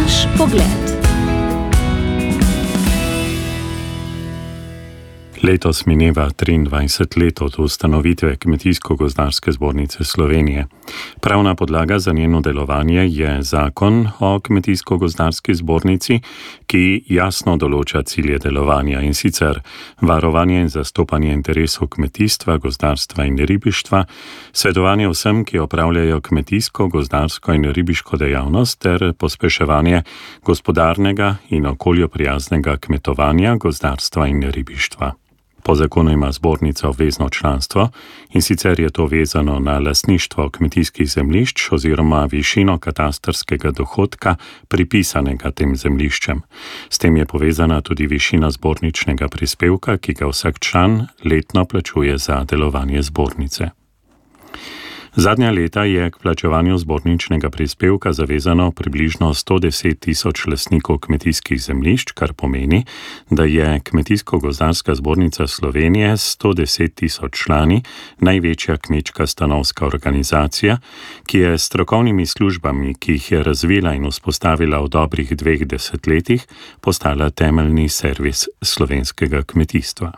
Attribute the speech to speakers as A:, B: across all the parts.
A: Naš pogled.
B: Letos mineva 23 let od ustanovitve Kmetijsko-gozdarske zbornice Slovenije. Pravna podlaga za njeno delovanje je zakon o Kmetijsko-gozdarski zbornici, ki jasno določa cilje delovanja, in sicer varovanje in zastopanje interesov kmetijstva, gozdarstva in ribištva, svetovanje vsem, ki opravljajo kmetijsko, gozdarsko in ribiško dejavnost, ter pospeševanje gospodarnega in okolju prijaznega kmetovanja, gozdarstva in ribištva. Po zakonu ima zbornica obvezno članstvo, in sicer je to vezano na lastništvo kmetijskih zemljišč oziroma višino katastrskega dohodka pripisanega tem zemljiščem. S tem je povezana tudi višina zborničnega prispevka, ki ga vsak član letno plačuje za delovanje zbornice. Zadnja leta je k plačevanju zborničnega prispevka zavezano približno 110 tisoč lastnikov kmetijskih zemljišč, kar pomeni, da je Kmetijsko-gozdarska zbornica Slovenije s 110 tisoč člani največja kmečka stanovska organizacija, ki je s strokovnimi službami, ki jih je razvila in vzpostavila v dobrih 2 desetletjih, postala temeljni servis slovenskega kmetijstva.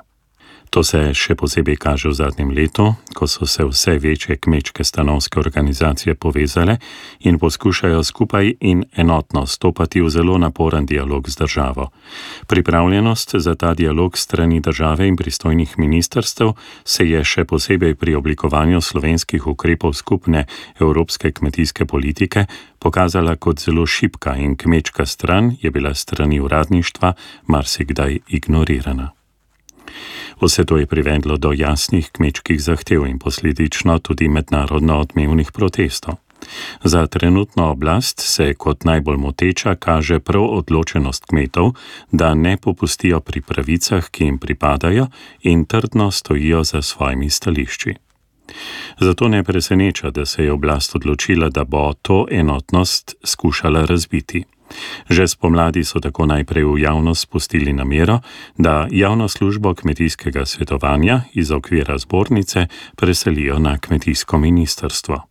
B: To se še posebej kaže v zadnjem letu, ko so se vse večje kmečke stanovske organizacije povezale in poskušajo skupaj in enotno stopati v zelo naporen dialog z državo. Pripravljenost za ta dialog strani države in pristojnih ministrstev se je še posebej pri oblikovanju slovenskih ukrepov skupne evropske kmetijske politike pokazala kot zelo šibka, in kmečka stran je bila strani uradništva marsikdaj ignorirana. Vse to je privedlo do jasnih kmečkih zahtev in posledično tudi mednarodno odmevnih protestov. Za trenutno oblast se kot najbolj moteča kaže prav odločenost kmetov, da ne popustijo pri pravicah, ki jim pripadajo, in trdno stojijo za svojimi stališči. Zato ne preseneča, da se je oblast odločila, da bo to enotnost skušala razbiti. Že spomladi so tako najprej v javnost spustili namero, da javno službo kmetijskega svetovanja iz okvira zbornice preselijo na kmetijsko ministrstvo.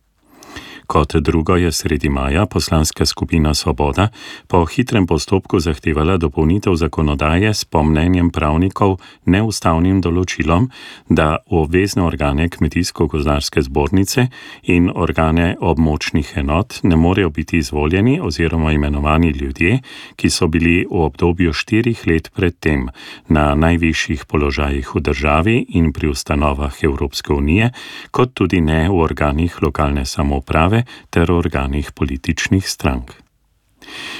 B: Kot drugo je sredi maja poslanska skupina Svoboda po hitrem postopku zahtevala dopolnitev zakonodaje s po mnenjem pravnikov neustavnim določilom, da v obvezne organe Kmetijsko-gozdarske zbornice in organe območnih enot ne morejo biti izvoljeni oziroma imenovani ljudje, ki so bili v obdobju 4 let predtem na najvišjih položajih v državi in pri ustanovah Evropske unije, kot tudi ne v organih lokalne samouprave ter organih političnih strank.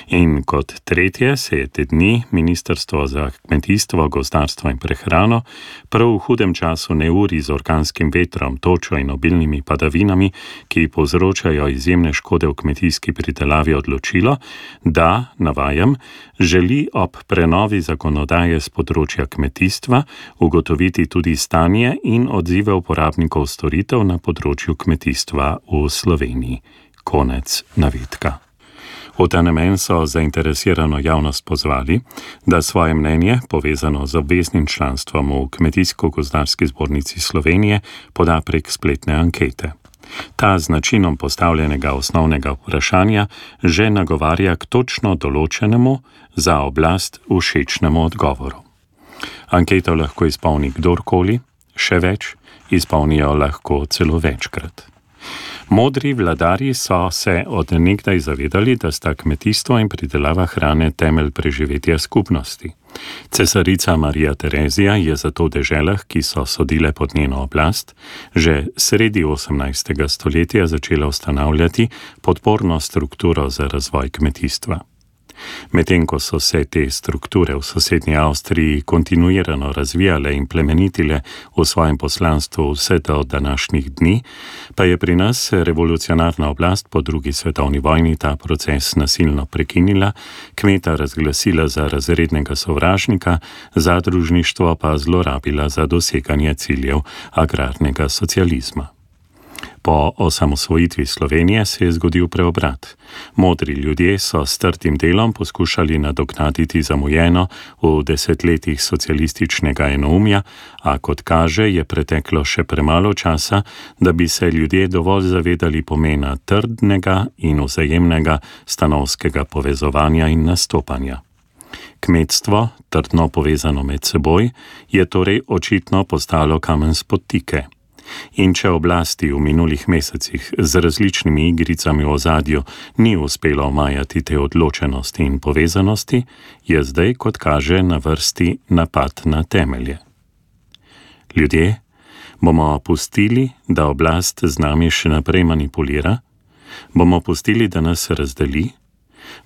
B: In kot tretje se je te dni Ministrstvo za kmetijstvo, gozdarstvo in prehrano prav v hudem času neurij z orkanskim vetrom, točo in obilnimi padavinami, ki povzročajo izjemne škode v kmetijski pridelavi, odločilo, da, navajam, želi ob prenovi zakonodaje z področja kmetijstva ugotoviti tudi stanje in odzive uporabnikov storitev na področju kmetijstva v Sloveniji. Konec navedka. V ta namen so zainteresirano javnost pozvali, da svoje mnenje, povezano z obveznim članstvom v Kmetijsko-gozdarski zbornici Slovenije, poda prek spletne ankete. Ta z načinom postavljenega osnovnega vprašanja že nagovarja k točno določenemu, za oblast všečnemu odgovoru. Anketo lahko izpolni kdorkoli, še več, izpolnijo lahko celo večkrat. Modri vladarji so se od nekdaj zavedali, da sta kmetijstvo in pridelava hrane temelj preživetja skupnosti. Cesarica Marija Terezija je zato v deželah, ki so sodile pod njeno oblast, že sredi 18. stoletja začela ustanavljati podporno strukturo za razvoj kmetijstva. Medtem ko so se te strukture v sosednji Avstriji kontinuirano razvijale in plemenitile v svojem poslanstvu vse do današnjih dni, pa je pri nas revolucionarna oblast po 2. svetovni vojni ta proces nasilno prekinila, kmeta razglasila za razrednega sovražnika, zadružništvo pa zlorabila za doseganje ciljev agrarnega socializma. Po osamosvojitvi Slovenije se je zgodil preobrat. Modri ljudje so s trdim delom poskušali nadoknaditi zamujeno v desetletjih socialističnega enoumja, a kot kaže, je preteklo še premalo časa, da bi se ljudje dovolj zavedali pomena trdnega in vzajemnega stanovskega povezovanja in nastopanja. Kmetstvo, trdno povezano med seboj, je torej očitno postalo kamen spotike. In če oblasti v minulih mesecih z različnimi igricami v ozadju ni uspelo omajati te odločenosti in povezanosti, je zdaj, kot kaže, na vrsti napad na temelje. Ljudje, bomo pustili, da oblast z nami še naprej manipulira? Bomo pustili, da nas razdeli?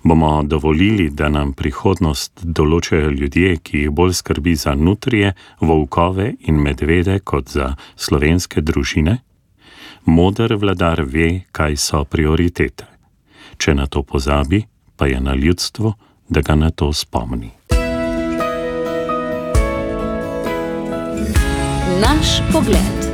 B: Bomo dovolili, da nam prihodnost določajo ljudje, ki jih bolj skrbi za nutrije, volkove in medvede kot za slovenske družine? Moder vladar ve, kaj so prioritete. Če na to pozabi, pa je na ljudstvu, da ga na to spomni.
A: Naš pogled.